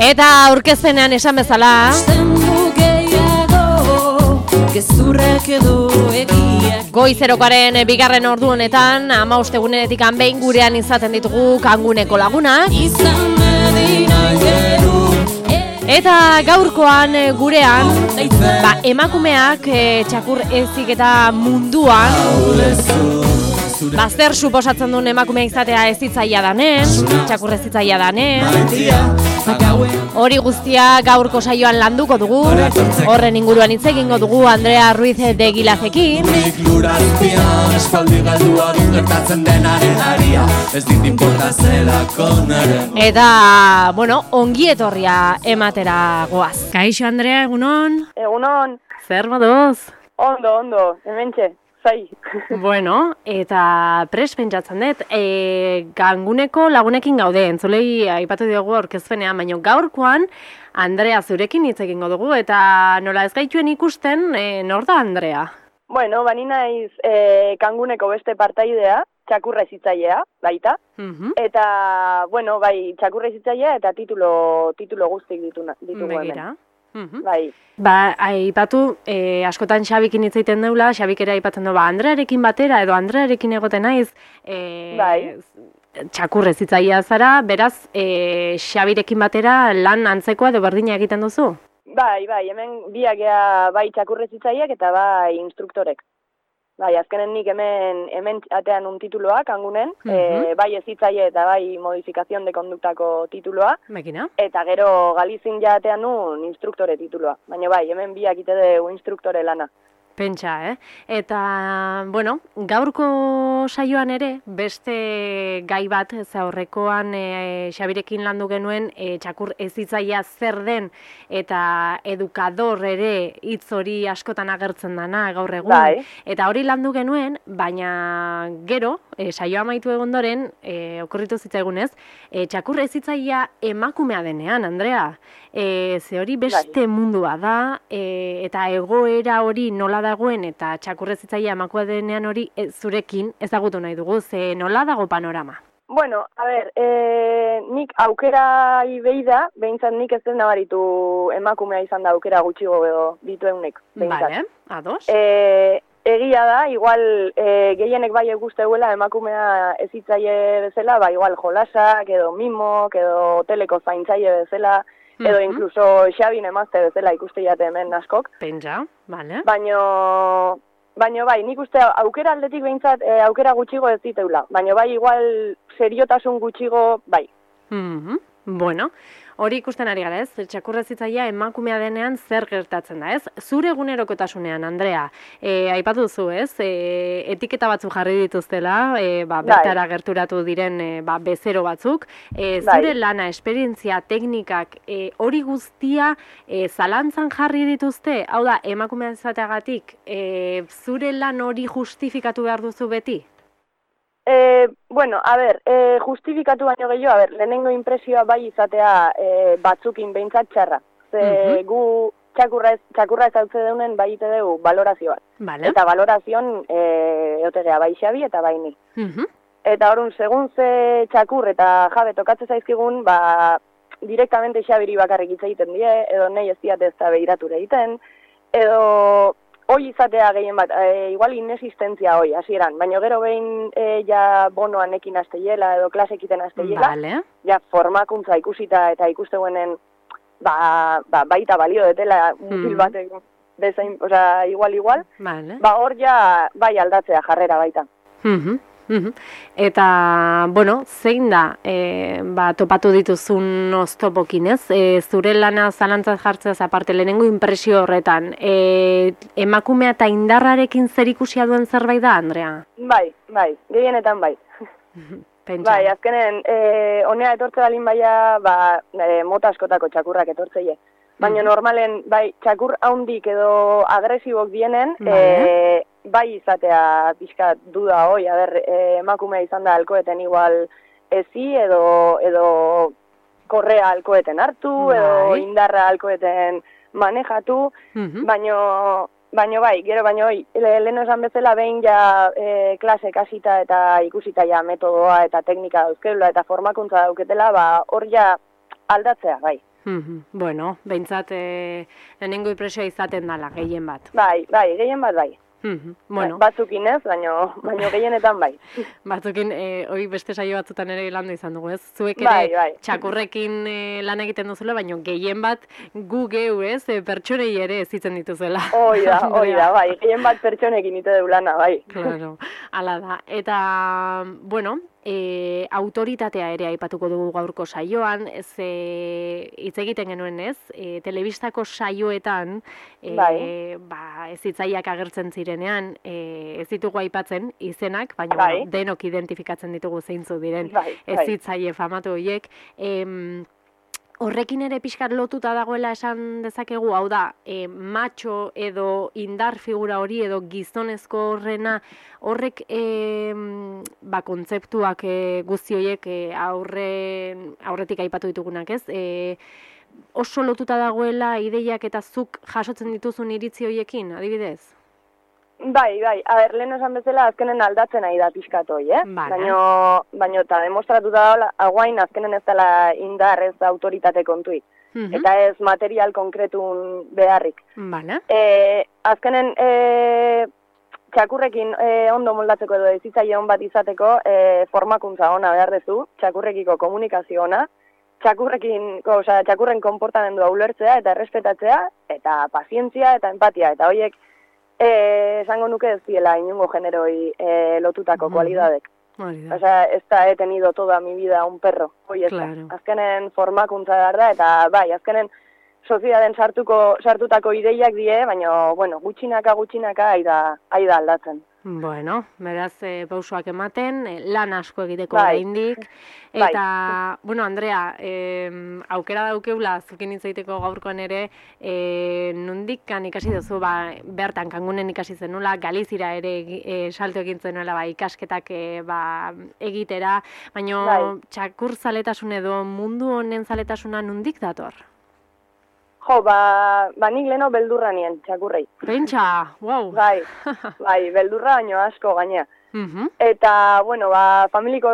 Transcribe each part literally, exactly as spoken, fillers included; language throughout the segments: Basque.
Eta aurkezpenean esan bezala Goizerokaren bigarren ordu honetan hamabost egunetik behin gurean izaten ditugu Kanguneko lagunak. Eta gaurkoan gurean ba, emakumeak e, txakur eziketa munduan Bazter suposatzen duen emakumea izatea ez zitzaia danen, txakur ez zitzaia danen. Hori guztia gaurko saioan landuko dugu, horren inguruan hitz egingo dugu Andrea Ruiz de Gilazekin. Eta, bueno, ongi etorria ematera goaz. Kaixo Andrea, egunon? Egunon. Zer moduz? Ondo, ondo, hementxe. Zai. Bueno, eta pres pentsatzen dut, e, Kanguneko lagunekin gaude, entzulei aipatu diogu aurkezpenean, baina gaurkoan Andrea zurekin hitz egingo dugu, eta nola ez gaituen ikusten, e, nor da Andrea? Bueno, bani naiz e, Kanguneko beste partaidea, txakurra ezitzailea, baita, uh-huh. Eta, bueno, bai, txakurra ezitzailea eta titulo, titulo guztik ditu, ditugu hemen. Uhum. Bai. Ba, aipatu, e, askotan Xabikin hitz egiten deula, Xabik ere aipatzen du, ba, Andrearekin batera edo Andrearekin egoten naiz, e, bai. Txakurrez hitzaia zara, beraz, e, Xabirekin batera lan antzekoa edo berdina egiten duzu? Bai, bai, hemen biak ea bai txakurrez hitzaiak eta bai instruktorek. Bai, azkenen nik hemen, hemen atean un tituloa, Kangunen, uh-huh. e, bai ez hitzaile eta bai modifikazion de konduktako tituloa. Bekina. Eta gero Galizin ja atean un instruktore tituloa. Baina bai, hemen biak ite du instruktore lana. Pentsa, eh? Eta, bueno, gaurko saioan ere, beste gai bat, zaurrekoan e, Xabirekin landu genuen, e, txakur ezitzaia zer den, eta edukador ere hitz hori askotan agertzen dana gaur egun. Bai. Eta hori landu genuen, baina gero, e, saioa amaitu egondoren, e, okurritu zitzaigunez, e, txakur ezitzaia emakumea denean, Andrea. E, ze hori beste mundua da, e, eta egoera hori nola dagoen eta txakurrezitzaia emakua denean hori e, zurekin ezagutu nahi dugu, ze nola dago panorama? Bueno, a ber, e, nik aukera ibei da, behintzat nik ez den nabaritu emakumea izan da aukera gutxigo edo dituen nik. Bale, ados. E, egia da, igual e, gehienek bai eguzteuela emakumea ezitzaile bezala, ba igual jolasak edo mimok edo hoteleko zaintzaile bezala, edo uh-huh. Incluso Xabin emazte bezala ikuste jate hemen askok. Pentsa, bale. Baino, baino bai, nik uste aukera aldetik behintzat e, aukera gutxigo ez diteula. Baino bai, igual seriotasun gutxigo, bai. Uh-huh. Bueno, hori ikusten ari gara ez, txakurrezitzaia emakumea denean zer gertatzen da ez? Zure egunerokotasunean, Andrea, e, aipatu duzu ez, e, etiketa batzuk jarri dituztela, e, ba, bertara gerturatu diren e, ba, bezero batzuk, e, zure bai. Lana, esperientzia, teknikak, e, hori guztia e, zalantzan jarri dituzte, hau da, emakumea izateagatik, e, zure lan hori justifikatu behar duzu beti? E, bueno, a ber, e, justifikatu baino gehiago, a ber, lehenengo impresioa bai izatea e, batzukin behintzat txarra. Ze uh-huh. gu txakurra ez, txakurra ez hautze deunen bai ite dugu valorazioa. Vale. Eta valorazioan e, eotegea bai Xabi eta bai ni. Uh-huh. Eta horun, segun ze txakur eta jabe tokatze zaizkigun, ba, direktamente Xabiri bakarrik hitz egiten die, edo nahi ez diate ez da behirature egiten, edo... Hoi izatea gehien bat, e, igual inesistentzia hoi, hasieran, baina gero behin e, ja bonoan ekin asteiela edo klasekiten asteiela, vale. Ja formakuntza ikusita eta ikusteguenen ba, ba, baita balio detela mutil mm. batek bezain, oza, igual, igual, vale. Ba hor ja bai aldatzea jarrera baita. Mm-hmm. Eta, bueno, zein da, e, ba, topatu dituzun oztopokin, ez? E, zure lana zalantzat jartzeaz aparte, lehenengo impresio horretan, e, emakumea eta indarrarekin zer ikusia duen zerbait da, Andrea? Bai, bai, gehienetan bai. Pentsa. Bai, azkenen, e, honea etortze balin baia, ba, e, mota askotako txakurrak etortzeie. Baina normalen, bai, txakur haundik edo agresibok dienen, vale. e, bai izatea pixka duda hoi, aber, e, emakumea izan da alkoeten igual ezi edo, edo korrea alkoeten hartu, bai. Edo indarra alkoeten manejatu, uh-huh. baino, baino bai, gero baino hoi, lehen esan bezala behin ja e, klase kasita eta ikusita ja metodoa eta teknika dauzkeula eta formakuntza dauketela, ba hor ja aldatzea, bai. Mhm. Bueno, behintzat e, lehenengo impresioa izaten dala, gehien bat. Bai, bai, gehien bat bai. Mhm. Bueno. Batzukin ez, baino, baino gehienetan bai. Batzukin, e, hoi beste saio batzutan ere landu izan dugu, ez? Zuek ere Bai, bai. txakurrekin e, lan egiten duzula, baino gehien bat gu geu, ez? E, pertsonei ere ezitzen dituzela. Hoi da, hoi da, bai. Gehien bat pertsonekin ite du lana, bai. Claro, ala da. Eta, bueno, e, autoritatea ere aipatuko dugu gaurko saioan, ez e, hitz egiten genuen, ez? E, telebistako saioetan, e, bai. ba, ez hitzaiak agertzen zirenean, e, ez ditugu aipatzen izenak, baina bai. bueno, denok identifikatzen ditugu zeintzu diren bai, ez bai. hitzaile famatu horiek. Em, Horrekin ere pixkat lotuta dagoela esan dezakegu, hau da, e, macho edo indar figura hori edo gizonezko horrena, horrek e, ba, kontzeptuak e, guzti horiek e, aurre, aurretik aipatu ditugunak, ez? E, oso lotuta dagoela ideiak eta zuk jasotzen dituzun iritzi horiekin, adibidez? Bai, bai, a ber, lehen esan bezala azkenen aldatzen ari da pixkat hoi, eh? Baina, baina eta demostratuta da, aguain azkenen ez dela indar ez autoritate kontuik. Uh-huh. Eta ez material konkretun beharrik. Vale. E, azkenen e, txakurrekin e, ondo moldatzeko edo ezitzaile on bat izateko e, formakuntza ona behar dezu, txakurrekiko komunikazio ona, txakurrekin, oza, txakurren konportamendua ulertzea eta errespetatzea, eta pazientzia eta empatia, eta horiek Eh, esango nuke ez diela inungo generoi eh, lotutako uh-huh. kualidadek. O sea, ez da he tenido toda mi vida un perro. Hoi ez claro. da. Azkenen formakuntza behar da, eta bai, azkenen sozietaten sartuko, sartutako ideiak die, baina, bueno, gutxinaka, gutxinaka, aida, aida aldatzen. Bueno, beraz, e, pausoak ematen, e, lan asko egiteko bai. oraindik. Eta, bai. bueno, Andrea, e, aukera daukeula, zukin hitzaiteko gaurkoan ere, e, nondik kan ikasi duzu, ba, bertan kangunen ikasi zenula, Galizira ere e, salto egin zenuela, ba, ikasketak e, ba, egitera, baina bai. Txakur zaletasun edo mundu honen zaletasuna nondik dator? Jo, ba, ba nik leno beldurra nien, txakurrei. Pentsa, wow. Bai, bai, beldurra baino asko gainea. Uh-huh. Eta, bueno, ba, familiko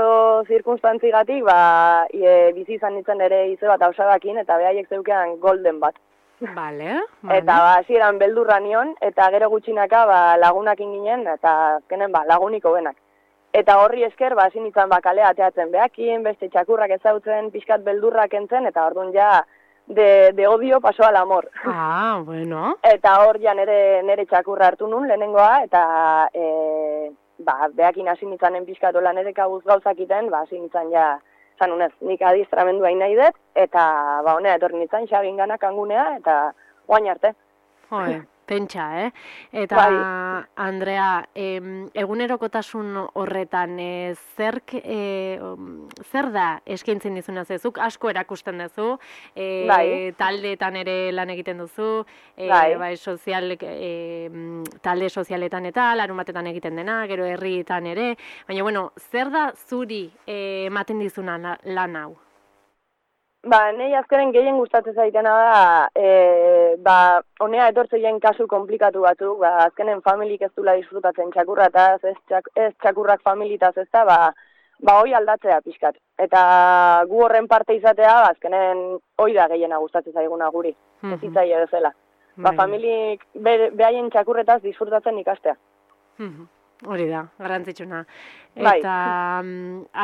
zirkunstantzigatik, ba, e, bizi izan nintzen ere ize bat hausadakin, eta behaiek zeukean golden bat. Vale, vale. Eta, ba, hasieran beldurra nion, eta gero gutxinaka, ba, lagunakin ginen, eta azkenen, ba, laguniko benak. Eta horri esker, ba, hasi nintzen, ba, kalea ateatzen behakin, beste txakurrak ezautzen, pixkat beldurrak entzen, eta orduan ja, De, de odio paso al amor. Ah, bueno. Eta hor ja nere, nere txakurra hartu nun, lehenengoa, eta e, ba, behakin hasi nintzanen pixkatola nere kabuz gauzakiten, ba, hasi nintzan ja, zanunez, nik adiestramendu hain nahi dut, eta ba, honea etorri nintzan, xabin gana kangunea, eta guain arte. Joe, pentsa, eh? Eta, bai. Andrea, em, egunerokotasun horretan, e, zerk, e, zer da eskaintzen dizuna zezuk? Asko erakusten duzu, e, bai. taldeetan ere lan egiten duzu, e, bai. bai, sozial, e, talde sozialetan eta larumatetan egiten dena, gero herrietan ere, baina, bueno, zer da zuri e, ematen dizuna lan hau? Ba, nahi azkenen gehien gustatzen zaitena da, e, ba, honea etortzeien kasu komplikatu batzuk, ba, azkenen familik ez dula disfrutatzen txakurrataz, ez, txak, ez txakurrak familitaz ez da, ba, ba, hoi aldatzea pixkat. Eta gu horren parte izatea, ba, azkenen hoi da gehiena gustatzen zaiguna guri, uh-huh. ez itzaile bezala. Ba, familik be, behaien txakurretaz disfrutatzen ikastea. Uh-huh. Hori da, garrantzitsuna. Bai. Eta,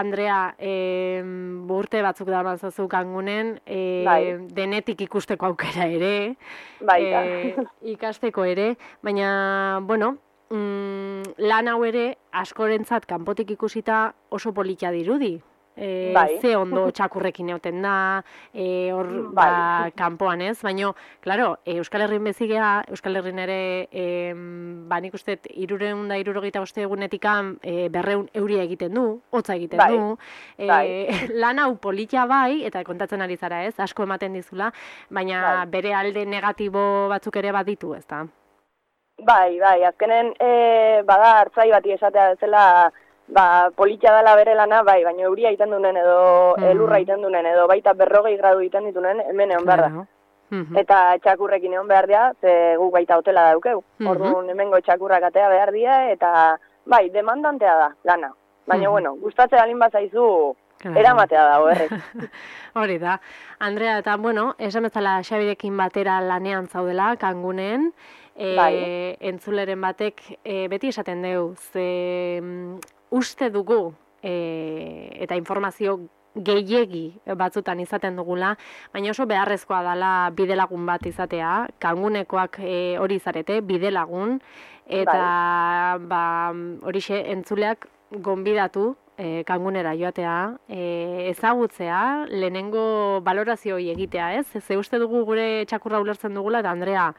Andrea, e, urte batzuk da mazazu kangunen, e, bai. denetik ikusteko aukera ere, bai, e, ikasteko ere, baina, bueno, mm, lan hau ere, askorentzat kanpotik ikusita oso politia dirudi. E, bai. Ze ondo txakurrekin egoten da, e, hor bai. ba, kanpoan ez, baina, klaro, e, Euskal Herrin bezigea, Euskal Herrin ere, e, ba, nik uste, irureun da irurogeita boste egunetikan e, berreun euria egiten du, hotza egiten bai. du, e, bai. lan hau politia bai, eta kontatzen ari zara ez, asko ematen dizula, baina bai. bere alde negatibo batzuk ere baditu, ez da? Bai, bai, azkenen, e, bada hartzai bati esatea bezala, ba, politia dela bere lana, bai, baina euria egiten dunen edo mm. elurra egiten dunen edo baita berrogei gradu egiten ditunen, hemen egon behar da. Mm-hmm. Eta txakurrekin egon behar dira, ze guk baita hotela daukeu. Mm-hmm. Orduan hemengo txakurrak atea behar dira, eta bai, demandantea da lana. Baina, mm-hmm. bueno, gustatzen alin bazaizu, eramatea dago, errek. Hori da. Andrea, eta bueno, esan bezala Xabirekin batera lanean zaudela, Kangunen, e, Bai. entzuleren batek e, beti esaten deu, ze mm, uste dugu e, eta informazio gehiegi batzutan izaten dugula, baina oso beharrezkoa dela bidelagun bat izatea, Kangunekoak e, hori zarete, bidelagun, eta ba, horixe entzuleak gonbidatu e, Kangunera joatea, e, ezagutzea, lehenengo balorazio hori egitea, ez? Ze uste dugu gure txakurra ulertzen dugula, eta Andrea,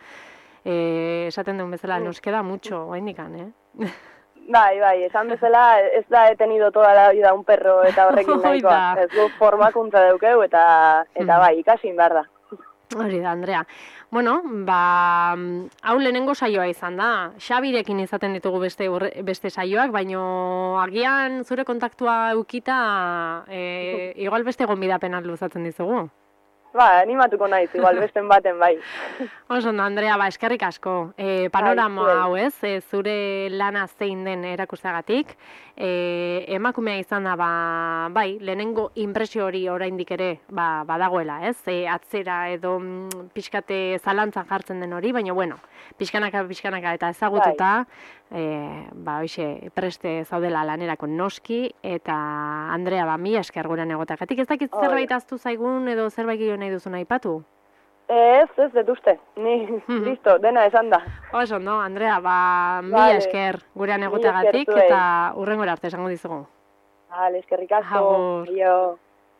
e, esaten duen bezala, nos queda mucho, oraindikan, eh? Bai, bai, esan bezala, ez da he tenido toda la vida un perro eta horrekin nahikoa. Ez du formakuntza daukeu eta, eta bai, ikasin behar da. Hori da, Andrea. Bueno, ba, hau lehenengo saioa izan da. Xabirekin izaten ditugu beste, beste saioak, baino agian zure kontaktua eukita, e, igual beste gonbidapenak luzatzen dizugu. Ba, animatuko naiz, igual besten baten bai. Oso, Andrea, ba, eskerrik asko. E, panorama hau ez, e, zure lana zein den erakusteagatik. E, emakumea izan da, ba, bai, lehenengo inpresio hori oraindik ere ba, badagoela, ez? E, atzera edo mm, pixkate zalantzan jartzen den hori, baina, bueno, pixkanaka, pixkanaka eta ezagututa, e, ba, hoxe, preste zaudela lanerako noski, eta Andrea, ba, mi esker gurean egotagatik. Ez dakit zerbait aztu zaigun edo zerbait gio nahi duzun aipatu? Ez, ez, dut uste. Ni, listo, dena esan da. Oso, no, Andrea, ba, mi Vale. esker gurean egotagatik eta hurrengora arte esango dizugu. Vale, eskerrik asko. Agur. Aio.